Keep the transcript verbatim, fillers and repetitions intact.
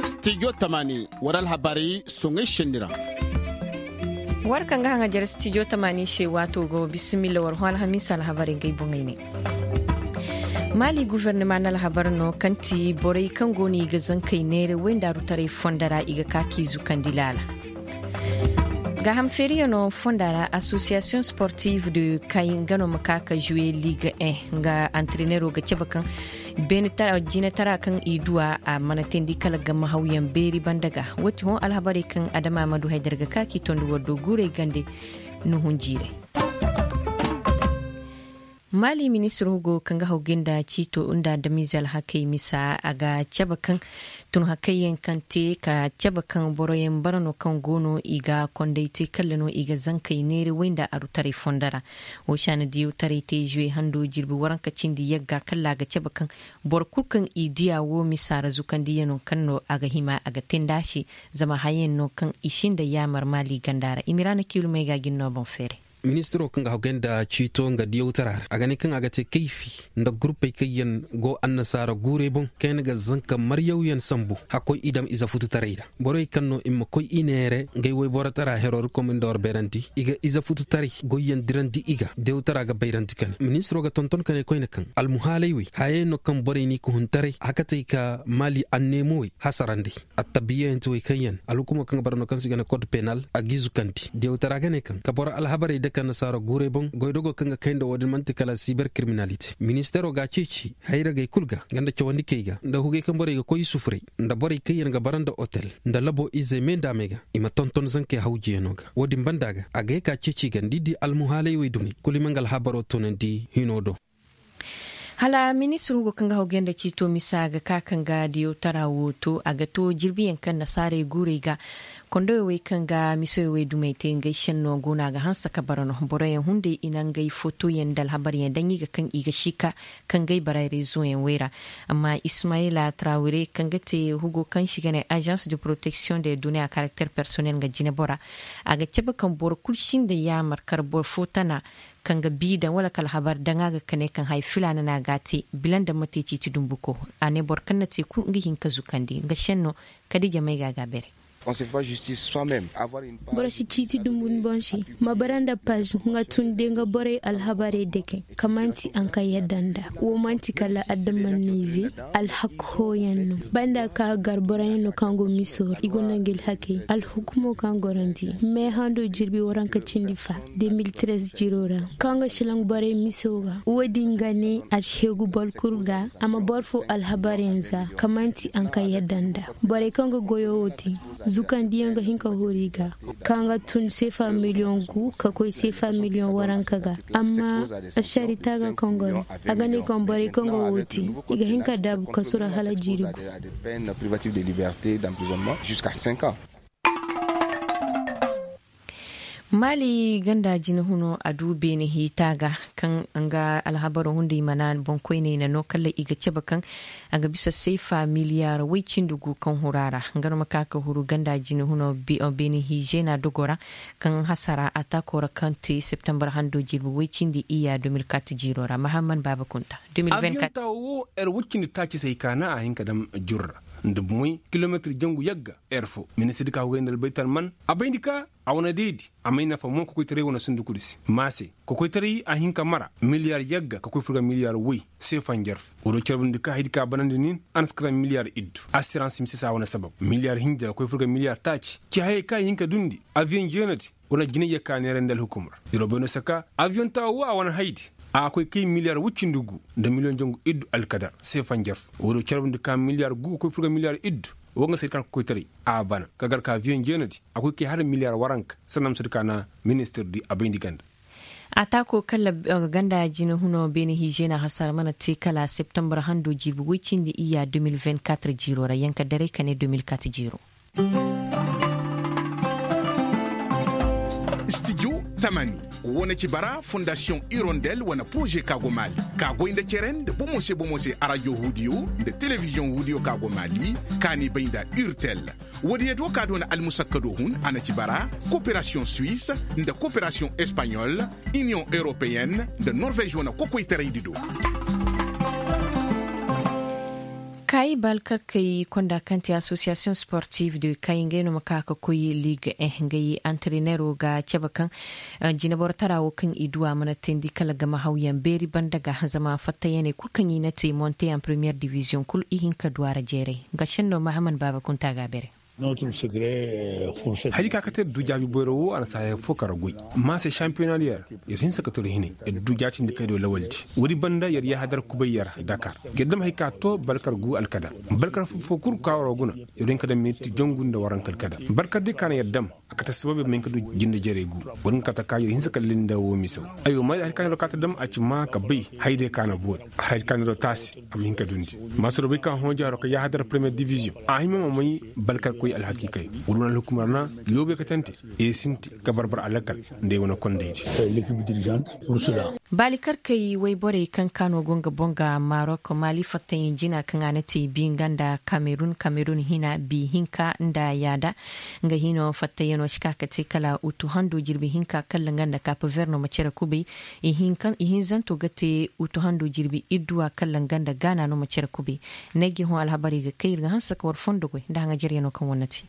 Studio tamani, war alhabarey soŋay senni ra. War kaŋ ga haŋajar studio tamani se waato go bisimilla war hõ alhamiisa alhabarey ngey boŋey ne. Maali gufernema na alhabar no kaŋ ti borey kaŋ go no i ga zankey neera wayndaaru taray fondo ra i ga ka k'i zukandi laala. Gaaham feeriyaŋo fonda ra association sportive de kay nga no ma ka ka jouer ligue un nga antrenero ga cabe kaŋ jinatara kaŋ i duwa a mana teendi kala ga ma hawyaŋ beeri banda ga. Wo ti hõ alhabarey kaŋ adama ma du haydar ga ka k'i tondi war do guurey gande nuhun jiirey. Maali ministir hugo kaŋ ga haw ga nda ciito nda adamize alhakey misa a ga cabe kaŋ tun hakey yaŋ kaŋ te ka cabe kaŋ boro yaŋ bara no kaŋ go no i ga konday te kalla no i ga zankey neera way nda arutaray fondo ra. Wo se a na diyawtaray te zuwe hando jirbi waranka cindi yagga kalla a ga cabe kaŋ boro kulu kaŋ i diya wo misa ra zukandiyano kaŋ no a ga hima a ga te nda a se zama hayaŋ no kaŋ i sinda yaamar maali ganda ra i ma ira na kiilumey ga jin no boŋ feeray. Ministiro kaŋ ga hagay nda ciito nga diyawtara ra a ga ne kaŋ a ga te kayfi nda gurpey kaŋ yaŋ go annasaara guurey boŋ kayna ga zanka maryawyaŋ sambu hakkoy i daŋ ize fututaray ra. Borey kaŋ no i ma koy i neere ngey wayborotara herori komin da war bayrandi i ga ize fututaray goyyaŋ dirandi i ga diyawtara ga bayrandi ka ne ministiro ga tonton ka ne koyne kaŋ almuhaalay wey hayey no kaŋ borey n'i ka hun taray hakatey ka maali anneemowey hasarandey. Attabiyayaŋ ti wey kaŋ yaŋ alhukumo kaŋ ga bara no kaŋ se i ga ne kod penal a g'i zukandi diyawtara ga ne kaŋ ka boro alhabarey dake annasaara guurey boŋ goydogo kaŋ ga kay nda wo- din manti kala siber kiriminalite ministeero ga a ceeci hayragey kulu ga nga nda cawandikey ga nda hugey kaŋ borey ga koy i sufuray nda borey kaŋ yaŋ ga bara nda otel nda labo izey me nda a me ga i ma tonton zankey hawjiyaŋo ga wo- din banda ga a ga ye ka ceeci i ga nda i di almuhaaley wey dumey kulu i ma nga alhabaro toonandi hino do. Hala ministir hugo kaŋ ga hawgay nda ciito misa ga ka kaŋ ga diyawtara wo to a ga to jirbiyaŋ kaŋ nasaarey guurey ga kondoyo wey kaŋ ga misoyo wey dumey te ngey senno go no a ga hanse ka bara no boroyaŋ hunday i na ngey fotoyaŋ nda alhabaryaŋ daŋ i ga kaŋ i ga si ka kaŋ gay bara rezoyaŋ wey ra. Amma ismayila trawire kaŋ ga te hugo kaŋ se i ga ne agence de protection de données à caractère personnel nga jine bora a ga cabe kaŋ boro kulu sinda yaamar kala boro fo tana kaŋ ga bi daŋ wala kala habar daŋ a ga kane kaŋ haya filaana no a ga a te bila nda ma te ciiti dumbuko. A ne boro kaŋ na te kulu nga hin ka zukandi nga senno kadi jamay ga a ga a beeray. Boro si ciiti dumbu ni boŋ se ma bara nda paz nga tun de nga borey alhabarey dake ka manti a nga ka yadda nda wo manti kala adamanize alhakkoyaŋ no banda ka gar boroyaŋ no kaŋ go miso ra i gonda nga alhakey alhukumo kaŋ gorandi me hando jirbi waranka cindi fa de mil trez jiro ra kaŋ ga silaŋ borey miso ga wo- din ga ne a si heegu boro kulu ga a ma boro fo alhabaryaŋ za ka manti a nga ka yadda nda borey kaŋ ga goyo wo te zukandiyaŋ ga hin ka hori ga kaŋ ga tun seefa miliyoŋ gu ka koy seefa miliyoŋ waranka ga amma asari taaga kaŋ go no a ga ne kaŋ borey kaŋ go wo te i ga hin ka daabu kasu ra hala jiiri gu. Maali ganda jine huno a du beene hiita ga kaŋ nga alhabaro hunday mana boŋkoyney na no kala i ga cabe kaŋ a ga bisa seefa miliyaar way cindi gu kaŋ huru a ra nga no ma ka ka huru ganda jine huno beene hiijena dogo ra kaŋ hasara a taako ra kaŋ te septembar hando jirbi way cindi iyya de mil kat jiiro ra mahamman baaba kunta de mil vingt kat. Abiyoŋ taawo wo er way cindi taaci se i kaana a hin ka daŋ jurra nda bumoy kilomeetir jangu yagga er fo ministir ka hugay nda albaytar man a bayndi ka a wane deedi a may nafa mo kokoytaray wane sunduku di se maase kokoytaray a hin ka mara miliyaar yagga ka koy furga miliyaar way seefa njarfu wo do carbundi ka haydi ka banandi nin a na si kara miliyaar iddu asirans mise se a wane sabab miliyaar hinja ka koy furga miliyaar taaci ci hayey ka i hin ka dundi aviyoŋ jeena di wane jinay ya ka neerandi alhukumar diro bayno saka aviyoŋ taawo wo a wane haydi a ga koy kay miliyaar wuccindi gu nda miliyoŋ jangu iddu alkadar seefa njarfu wo do carbundi ka miliyaar gu ka koy furga miliyaar iddu wo nga se kaŋ ka koytaray a bana ka gar ka aviyoŋ jeena di a koy kay hala miliyaar waranka sanda ma sohõ kaana ministir di a bayndi ganda. A taako kala ganda jine huno beene hiijena hasara mana te kala septembar hando jiibi woy cindi iyya de mil vingt kat jiiro ra yanka daray ka ne de mil kat jiiro. Studio tamani wane ci bara fondasiyoŋ irondel wane poroze ka go maali ka goy nda cere nda bomo se bomo se arajo hudiyo nda telebiziyoŋ hudiyo ka go maali ka ni bay nda urtel. Wo- din ya do ka doona almusakka do hun a na ci bara koperasiyoŋ suwis nda koperasiyoŋ espaɲol iniyoŋ europeyenne nda norvez wane kokoytaray di do. Kaayi baalkarkey konda kaŋ te association sportive de kaayi ngey no ma ka ka koy ligue eh ngey antrenero ga cabe kaŋ jinaboro tara wo kaŋ i du a mana teendi kala ga ma hawyaŋ beeri banda ga zama fattayaney kulu kaŋ i na te monte en première division kulu i hin ka du a ra jeeray. Nga senno mahaman baaba kunta ga a beere. Hari ka kate du jaabi boyro wo a na saaya fo kara goy. Ma se championnat yer yer hinsa ka toro hinay yer du jaatindi kay do lawaldi. Woodi banda yer yaahadar kubay yer dakar yer dam hay ka to balkar gu alkadar balkar fo kulu ka waro guna. Yer hin ka dam minti jongu nda waranka alkadar balkar di ka na yer dam a kate sabab yer ma hin ka du jinde jerey gu. Woodi nga kate ka yer hinsa ka linda wo miso. Aywa ma hari ka na yer ka ta dam a ci ma ka bay hay day ka na boori. Hay ka na yer taasi a ma hin ka dundi. Masoro bay ka hõ jaaro ka yaahadar première division a hima ma may balkar koy alhakiikay. Wala wane alhukumar na yoobay ka tante e sinti ka barbar alakal nda ay wane kondaydi. Baali karkey wayborey kaŋ kaano go nga boŋ ga marok maali fattayaŋ jina kaŋ a na te bi nga nda kamerun kamerun hina bi hinka nda yaada. Nga hino fattayaŋo si ka ka te kala utu hando jirbi hinka kala nga nda kape verno ma care kubay. Ihinzanto ga te utu hando jirbi idduwa kala nga nda gaana no ma care kubay. Nayjir hõ alhabarey ga kay ir ga hanse ka war fondo goy nda haŋajaryaŋo kaŋ war na te.